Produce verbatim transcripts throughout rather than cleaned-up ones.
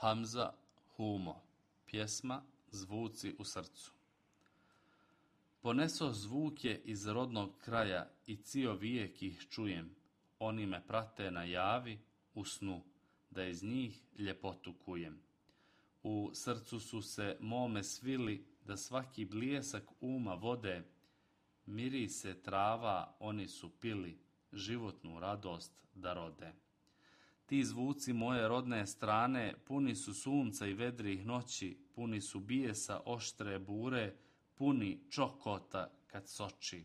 Hamza Humo, pjesma Zvuci u srcu. Poneso zvuke iz rodnog kraja i cio vijek ih čujem. Oni me prate na javi, u snu, da iz njih ljepotu kujem. U srcu su se mome svili, da svaki bljesak uma vode. Mirise trava oni su pili, životnu radost da rode. Ti zvuci moje rodne strane puni su sunca i vedrih noći, puni su bijesa oštre bure, puni čokota kad soči.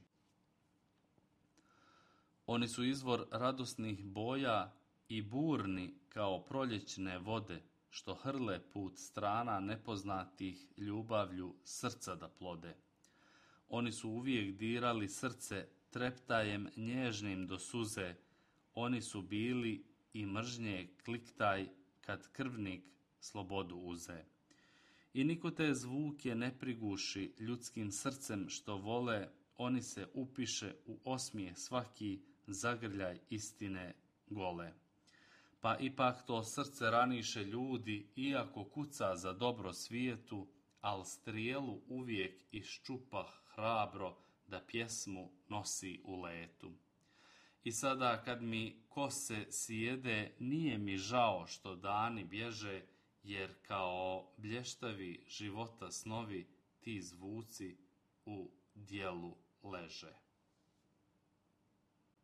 Oni su izvor radosnih boja i burni kao proljećne vode, što hrle put strana nepoznatih ljubavlju srca da plode. Oni su uvijek dirali srce treptajem nježnim do suze, oni su bili i mržnje kliktaj kad krvnik slobodu uze. I niko te zvuke ne priguši ljudskim srcem što vole, oni se upiše u osmijeh svaki zagrljaj istine gole. Pa ipak to srce raniše ljudi, iako kuca za dobro svijetu, al strijelu uvijek iščupa hrabro da pjesmu nosi u letu. I sada kad mi kose sjede, nije mi žao što dani bježe, jer kao blještavi života snovi ti zvuci u djelu leže.